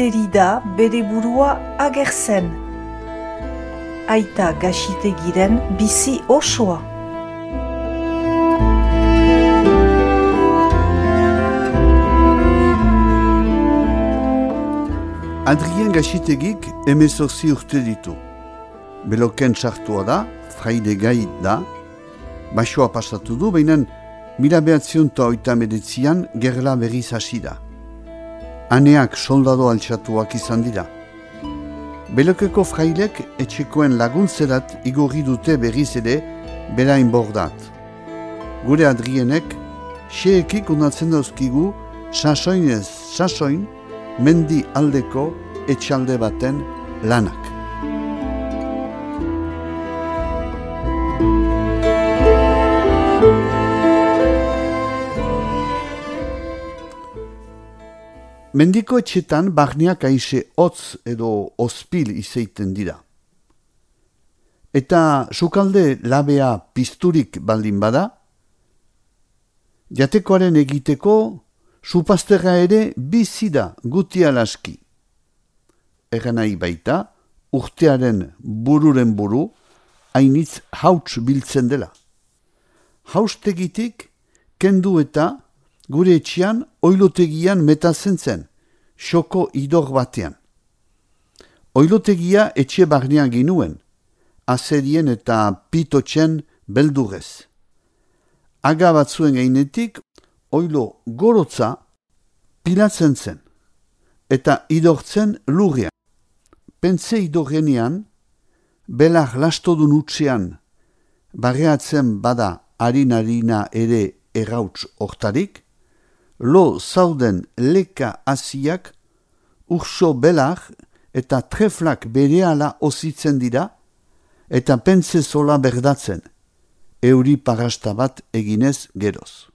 ageri da bere burua agertzen. Aita Gaxitegiren bizi osoa. Adrien Gaxitegik 18 urte ditu. Beloken sartua da, fraide gai da, basoa pasatu du, baina 1989an gerla berriz hasi da. Aneak soldado altxatuak izan dira. Belokeko frailek etxekoen laguntzerat igorri dute berriz ere berain bordat. Gure Adrienek xeekik unatzen dauzkigu sasoinez sasoin mendi aldeko etxalde baten lanak. Mendiko etxetan barneak aixe hotz edo ospil izeiten dira. Eta sukalde labea pizturik baldin bada, jatekoaren egiteko supazterra ere bizi da guti alaski. Egan nahi baita, urtearen bururen buru, hainitz hauts biltzen dela. Haustegitik kendu eta gure etxean oilotegian metatzen zen, xoko idor batean. Oilotegia etxe barnean ginuen, azerien eta pitotzen beldurez. Aga batzuen gainetik, oilo gorotza pilatzen zen, eta idortzen lurrean. Pentze idorrenean, belar lastodun utxean, barreatzen bada harin-harina ere errauts hortarik, lo zauden leka hasiak urso belar eta treflak berehala ozitzen dira, eta pentze zola berdatzen, euri parasta bat eginez geroz.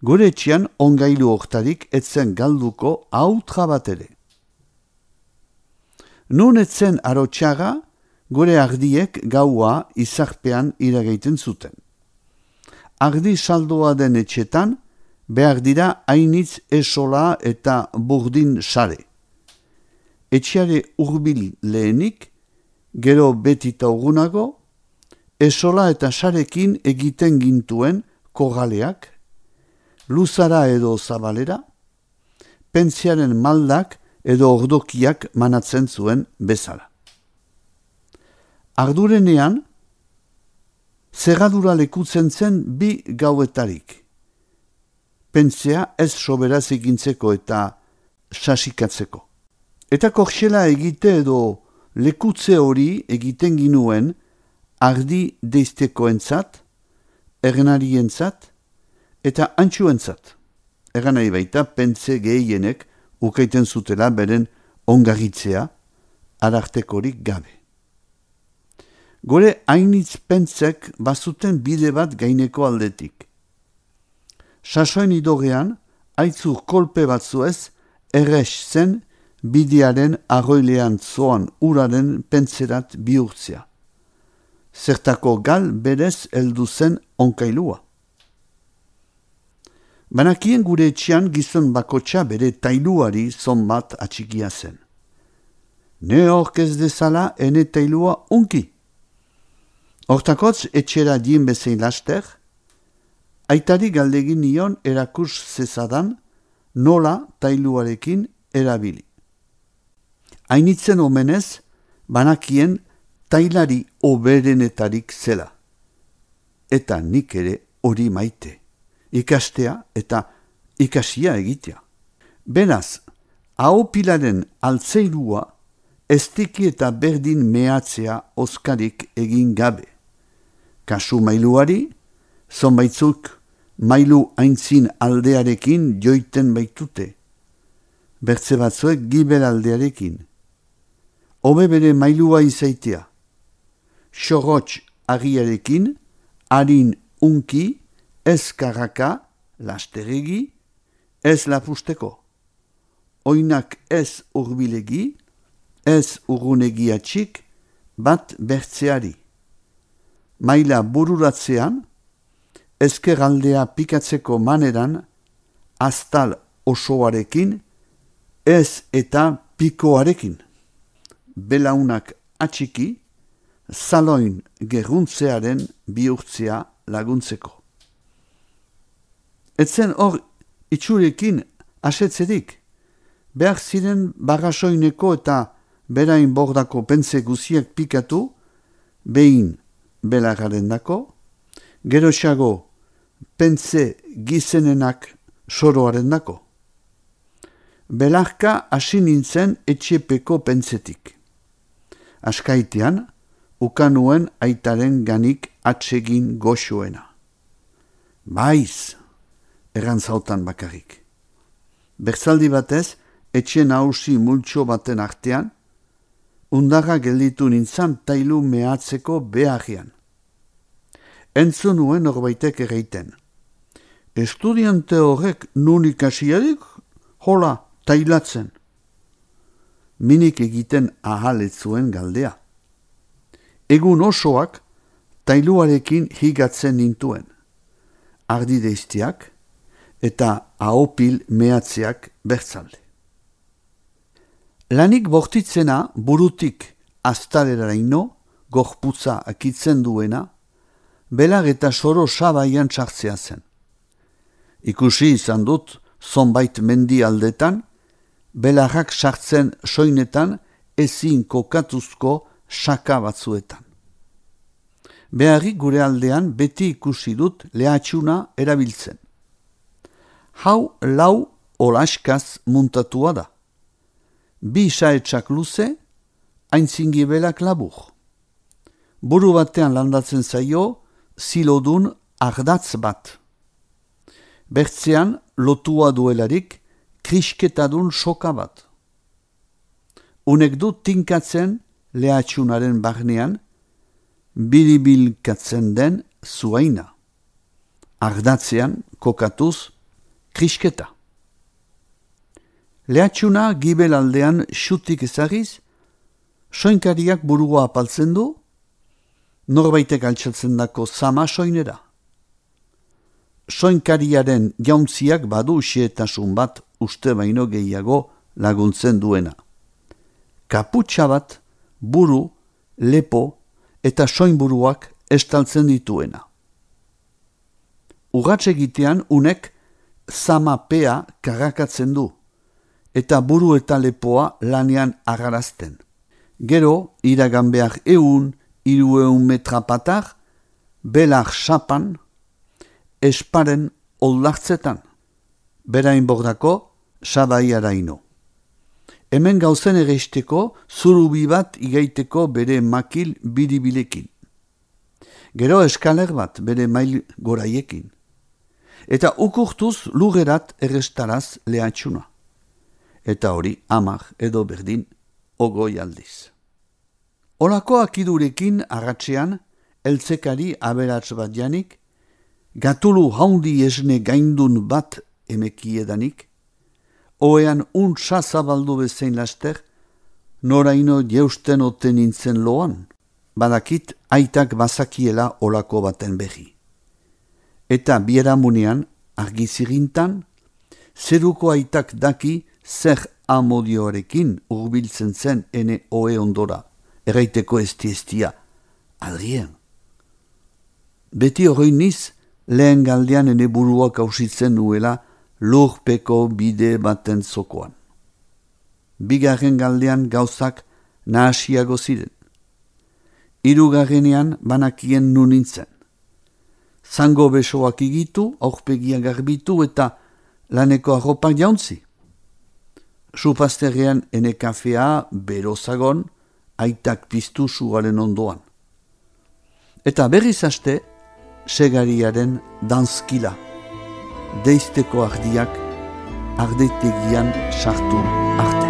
Gure etxean ongailu hortarik etzen galduko autra bat ere. Nun etzen arotxaga, gure ardiek gaua izarpean iragaiten zuten. Ardi saldoa den etxetan, behar dira hainitz esola eta burdin sare. Etxeare hurbil lehenik, gero betita urgunago, esola eta sarekin egiten gintuen korraleak, luzara edo zabalera, pentziaren maldak edo ordokiak manatzen zuen bezala. Ardurenean, zerradura lekutzen zen bi gauetarik. Pentzea ez soberaz egintzeko eta sasikatzeko. Eta korxela egite edo lekutze hori egiten ginuen ardi deiztekoentzat, ernarientzat eta antxuentzat. Egan nahi baita pentze gehienek ukaiten zutela beren ongarritzea arartekorik gabe. Gore hainitz pentsek bazuten bide bat gaineko aldetik. Sasoin idorean, aitzur kolpe batzuez, errex zen bidearen arroilean zoan uraren pentserat bihurtzea. Zertako gal berez heldu zen onkailua. Banakien gure etxean gizon bakotxa bere tailuari zonbat atxikia zen. Ne hork ez dezala ene tailua unki. Hortakotz etxera dien bezein laster, aitari galdegin nion erakurs zezadan nola tailuarekin erabili. Hainitzen omenez, banakien tailari oberenetarik zela. Eta nik ere hori maite, ikastea eta ikasia egitea. Beraz, ahopilaren altzeirua estiki eta berdin mehatzea oskarik egin gabe. Kasu mailuari, zonbaitzuk mailu aintzin aldearekin joiten baitute. Bertze batzuek gibel aldearekin. Hobe bere mailua izaitea. Xorotx agiarekin, harin unki, ez karraka, lasteregi, ez lapusteko. Oinak ez urbilegi, ez urgunegiatxik, bat bertzeari. Maila bururatzean, ezkerraldea pikatzeko maneran, aztal osoarekin, ez eta pikoarekin. Belaunak atxiki, zaloin gerruntzearen bihurtzea laguntzeko. Etzen hor itxurekin asetzerik, behar ziren bagasoineko eta berain bordako pentze guziak pikatu, behin belararen dako, geroxago pentze gizenenak soroaren dako. Belarka hasi nintzen etxepeko pentzetik. Askaitean, ukanuen aitaren ganik atsegin goxoena. Baiz, errantzautan bakarrik. Bertzaldi batez, etxe nahusi multxo baten artean, undarra gelditu nintzen tailu mehatzeko beharrian. Entzun nuen norbaitek erreiten. Estudiante horrek nun ikasiarik, hola, tailatzen. Minik egiten ahaletzuen galdea. Egun osoak tailuarekin higatzen nintuen. Ardi deiztiak eta ahopil mehatzeak bertzalde. Lanik bortitzena burutik aztareraino, gorputza akitzen duena, belar eta soro sabaian txartzea zen. Ikusi izan dut, zonbait mendi aldetan, belarrak sartzen soinetan ezin kokatuzko saka batzuetan. Beharrik gure aldean beti ikusi dut lehatxuna erabiltzen. Hau lau olaskaz muntatua da. Bi saetsak luze, aintzingibelak labur. Buru batean landatzen zaio, zilodun ardatz bat. Bertzean lotua duelarik, krisketadun soka bat. Unek du tinkatzen lehatxunaren barnean, biribilkatzen den zuaina. Ardatzean kokatuz krisketa. Lehatxuna gibel aldean xutik ezagiz, soinkariak burua apaltzen du, norbaitek altxatzen dako zama soinera. Soinkariaren jauntziak badu xeetasun bat uste baino gehiago laguntzen duena. Kaputxa bat, buru, lepo eta soinburuak estaltzen dituena. Urratx egitean unek zamapea karakatzen du, eta buru eta lepoa lanean agarazten. Gero, iragan behar 100-200 metra patar, belar sapan, esparen oldartzetan, berain bordako sabaiaraino. Hemen gauzen egeisteko zurubi bat igaiteko bere makil biribilekin. Gero eskaler bat bere mail goraiekin. Eta ukurtuz lugerat errestaraz lehatxuna. Eta hori 10 edo berdin 20 aldiz. Olako akidurekin agatzean, eltzekari aberats bat janik, gatulu haundi esne gaindun bat emekiedanik, oean untsa zabaldu bezein laster, noraino jeusten oten nintzen loan, badakit aitak bazakiela olako baten behi. Eta bieramunean, argizirintan, zeruko aitak daki zer amodioarekin urbiltzen zen ene oe ondora, erraiteko esti-estia, Adrien. Beti horreiniz, lehen galdean ene buruak hausitzen nuela lurpeko bide baten zokoan. Bigarren galdean gauzak nahasiago ziren. Hirugarrenean banakien nu nintzen. Zango besoak igitu, aurpegia garbitu eta laneko arropak jauntzi. Supazterrean ene kafea berozagon, aitak piztu sugaren ondoan. Eta berriz haste, segariaren danskila. Deizteko ardiak ardetegian sartu arte.